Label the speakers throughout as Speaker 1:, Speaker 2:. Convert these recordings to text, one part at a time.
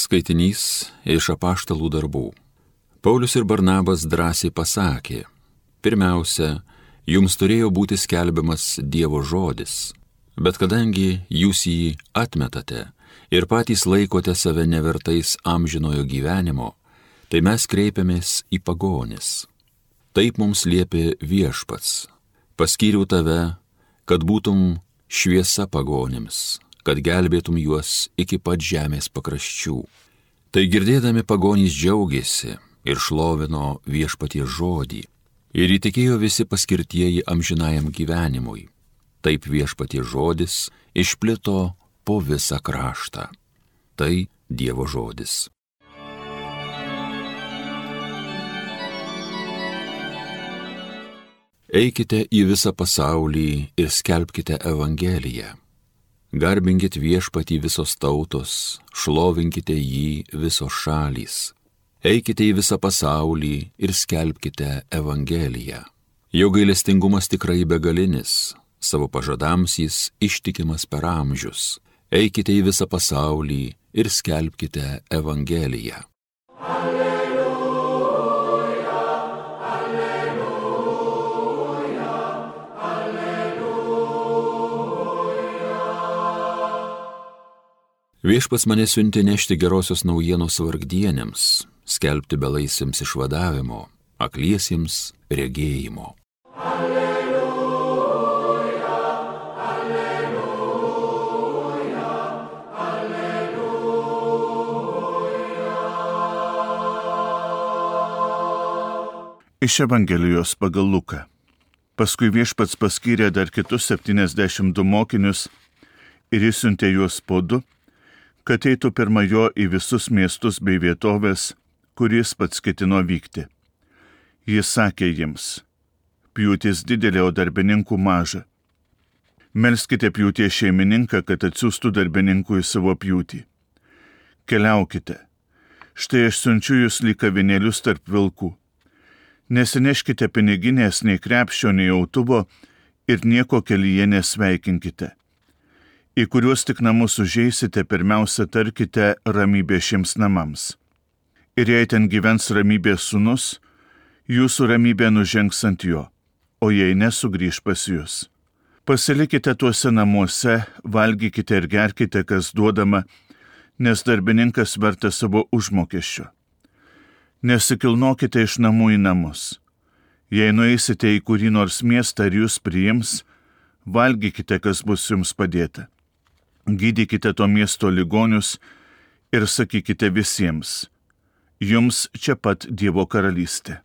Speaker 1: Skaitinys iš Apaštalų darbų. Paulius ir Barnabas drąsiai pasakė: pirmiausia, jums turėjo būti skelbiamas Dievo žodis, bet kadangi jūs jį atmetate ir patys laikote save nevertais amžinojo gyvenimo, tai mes kreipiamės į pagonis. Taip mums liepė Viešpats: paskyriau tave, kad būtum šviesa pagonims, kad gelbėtum juos iki pat žemės pakraščių. Tai girdėdami pagonys džiaugiasi ir šlovino Viešpaties žodį, ir įtikėjo visi paskirtieji amžinajam gyvenimui. Taip Viešpaties žodis išplito po visą kraštą. Tai Dievo žodis. Eikite į visą pasaulį ir skelbkite Evangeliją. Garbinkit Viešpatį visos tautos, šlovinkite jį visos šalys. Eikite į visą pasaulį ir skelbkite Evangeliją. Jo gailestingumas tikrai begalinis, savo pažadams jis ištikimas per amžius. Eikite į visą pasaulį ir skelbkite Evangeliją. Viešpats mane siuntė nešti gerosios naujienos vargdienėms, skelbti belaisviams išvadavimo, akliesiems regėjimo. Alleluja, alleluja, alleluja.
Speaker 2: Iš Evangelijos pagal Luką. Paskui Viešpats paskyrė dar kitus 72 mokinius ir išsiuntė juos po 2, kad eitų pirma jo į visus miestus bei vietovės, kuris pats ketino vykti. Jis sakė jiems: pjūtis didelė, o darbininkų maža. Melskite pjūties šeimininką, kad atsiųstų darbininkų į savo pjūtį. Keliaukite. Štai aš siunčiu jūs lyg avinėlius tarp vilkų. Nesineškite piniginės nei krepšio, nei autuvo ir nieko kelyje nesveikinkite. Į kuriuos tik namus užeisite, pirmiausia tarkite ramybė šiems namams. Ir jei ten gyvens ramybės sūnus, jūsų ramybė nužengs ant jo, o jei nesugrįš pas jūs. Pasilikite tuose namuose, valgykite ir gerkite, kas duodama, nes darbininkas vertas savo užmokesčio. Nesikilnokite iš namų į namus. Jei nueisite į kurį nors miestą ir jūs priims, valgykite, kas bus jums padėta. Gydykite to miesto ligonius ir sakykite visiems: jums čia pat Dievo karalystė.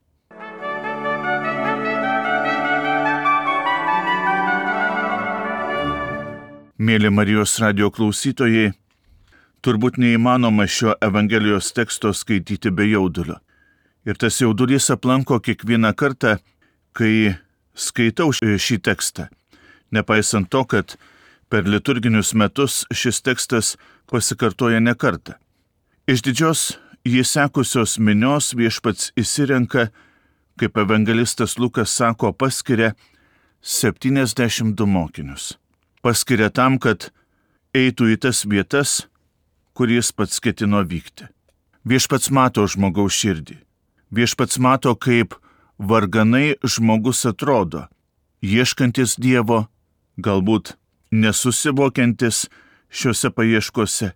Speaker 2: Mėly Marijos radijo klausytojai, turbūt neįmanoma šio Evangelijos teksto skaityti be jaudulio. Ir tas jaudulys aplanko kiekvieną kartą, kai skaitau šį tekstą, nepaisant to, kad per liturginius metus šis tekstas pasikartoja ne kartą. Iš didžios jį sekusios minios Viešpats išsirenka, kaip evangelistas Lukas sako, paskiria 72 mokinius. Paskiria tam, kad eitų į tas vietas, kur jis pats ketino vykti. Viešpats mato žmogaus širdį. Viešpats mato, kaip varganai žmogus atrodo, ieškantis Dievo, galbūt nesusivokiantis šiuose paieškose.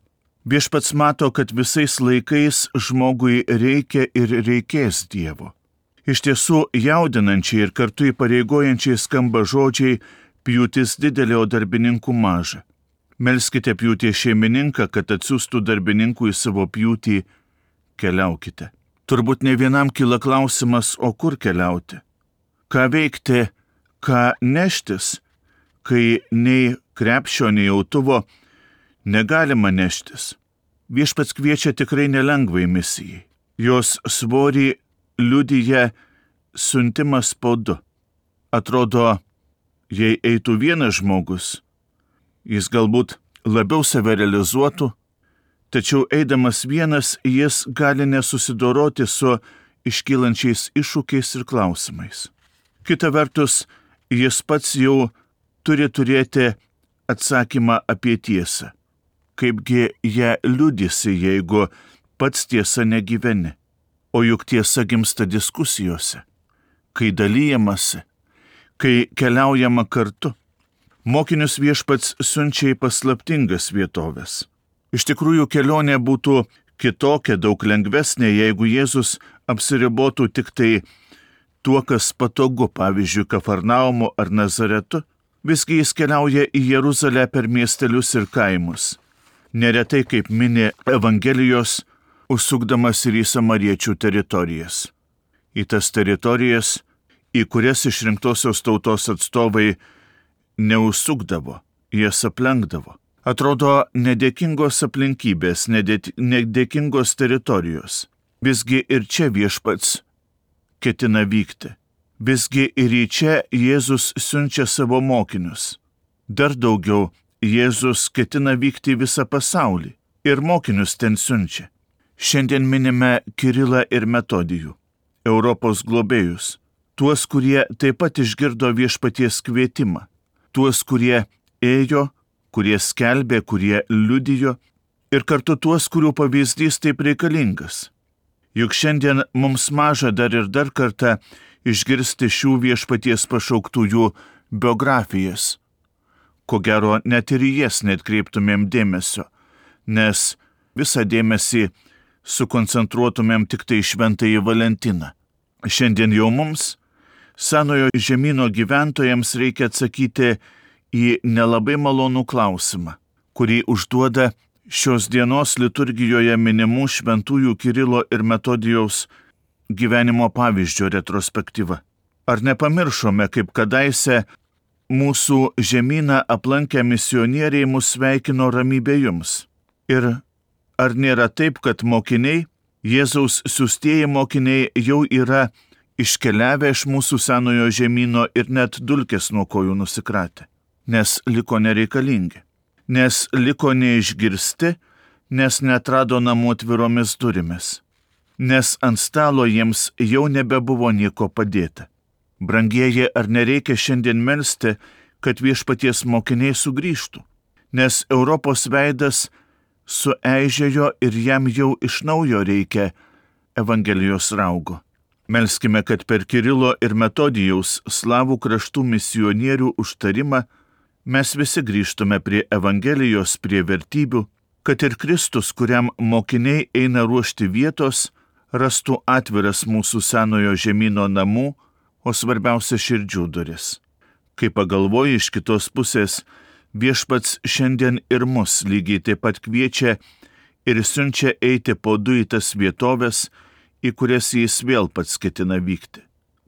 Speaker 2: Viešpats mato, kad visais laikais žmogui reikia ir reikės Dievo. Iš tiesų jaudinančiai ir kartu įpareigojančiai skamba žodžiai: pjūtis didelė, o darbininkų maža. Melskite pjūties šeimininką, kad atsiųstų darbininkų į savo pjūtį. Keliaukite. Turbūt ne vienam kyla klausimas, o kur keliauti? Ką veikti, ką neštis, kai nei krepšio, nei autuvo negalima neštis? Viešpats kviečia tikrai nelengvai misijai. Jos svorį liudija siuntimas po 2. Atrodo, jei eitų vienas žmogus, jis galbūt labiau save realizuotų, tačiau eidamas vienas jis gali nesusidoroti su iškylančiais iššūkiais ir klausimais. Kita vertus, jis pats jau turi turėti atsakymą apie tiesą. kaipgi ją liudysi, jeigu pats tiesa negyveni. O juk tiesa gimsta diskusijose, kai dalyjamasi, kai keliaujama kartu. Mokinius Viešpats siunčia į paslaptingas vietovės. Iš tikrųjų, kelionė būtų kitokia, daug lengvesnė, jeigu Jėzus apsiribotų tik tai tuo, kas patogu, pavyzdžiui, Kafarnaumu ar Nazaretu. Visgi jis keliauja į Jeruzalę per miestelius ir kaimus. Neretai, kaip mini Evangelijos, užsukdamas ir į samariečių teritorijas. Į tas teritorijas, į kurias išrinktosios tautos atstovai neužsukdavo, jas aplenkdavo. Atrodo nedėkingos aplinkybės, nedėkingos teritorijos. Visgi ir čia Viešpats ketina vykti. Visgi ir į čia Jėzus siunčia savo mokinius. Dar daugiau, Jėzus ketina vykti į visą pasaulį ir mokinius ten siunčia. Šiandien minime Kirilą ir Metodijų, Europos globėjus, tuos, kurie taip pat išgirdo Viešpaties kvietimą, tuos, kurie ėjo, kurie skelbė, kurie liudijo ir kartu tuos, kurių pavyzdys taip reikalingas. Juk šiandien mums maža dar ir dar kartą išgirsti šių Viešpaties pašauktųjų biografijas. Ko gero, net ir į jas neatkreiptumėm dėmesio, nes visą dėmesį sukoncentruotumėm tik tai Šventąjį Valentiną. Šiandien jau mums, Senojo žemyno gyventojams, reikia atsakyti į nelabai malonų klausimą, kurį užduoda šios dienos liturgijoje minimų šventųjų Kirilo ir Metodijaus gyvenimo pavyzdžio retrospektyva. Ar nepamiršome, kaip kadaise mūsų žemyną aplankę misionieriai mus sveikino ramybė jums? Ir ar nėra taip, kad mokiniai, Jėzaus siųstieji mokiniai jau yra iškeliavę iš mūsų Senojo žemyno ir net dulkes nuo kojų nusikratę, nes liko nereikalingi, nes liko neišgirsti, nes neatrado namų atviromis durimis, nes ant stalo jiems jau nebebuvo nieko padėta. Brangieji, ar nereikia šiandien melsti, kad Viešpaties mokiniai sugrįžtų, nes Europos veidas sueižėjo ir jam jau iš naujo reikia Evangelijos raugo. Melskime, kad per Kirilo ir Metodijaus slavų kraštų misionierių užtarimą mes visi grįžtume prie Evangelijos, prie vertybių, kad ir Kristus, kuriam mokiniai eina ruošti vietos, rastų atviras mūsų Senojo žemyno namų, o svarbiausia širdžių duris. Kai pagalvoji, iš kitos pusės, Viešpats šiandien ir mus lygiai taip pat kviečia ir siunčia eiti po du į tas vietovės, į kurias jis vėl pats ketina vykti.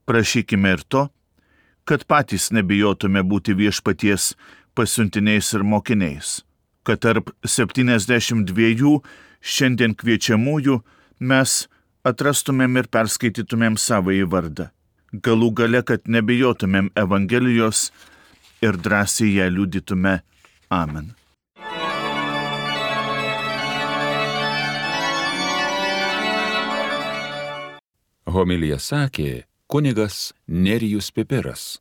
Speaker 2: Prašykime ir to, kad patys nebijotume būti Viešpaties pasiuntiniais ir mokiniais, kad tarp 72 šiandien kviečiamųjų mes atrastumėm ir perskaitytumėm savąjį vardą. Galų gale, kad nebijotumėm Evangelijos ir drąsiai ją liudytume. Amen.
Speaker 1: Homiliją sakė kunigas Nerijus Pipiras.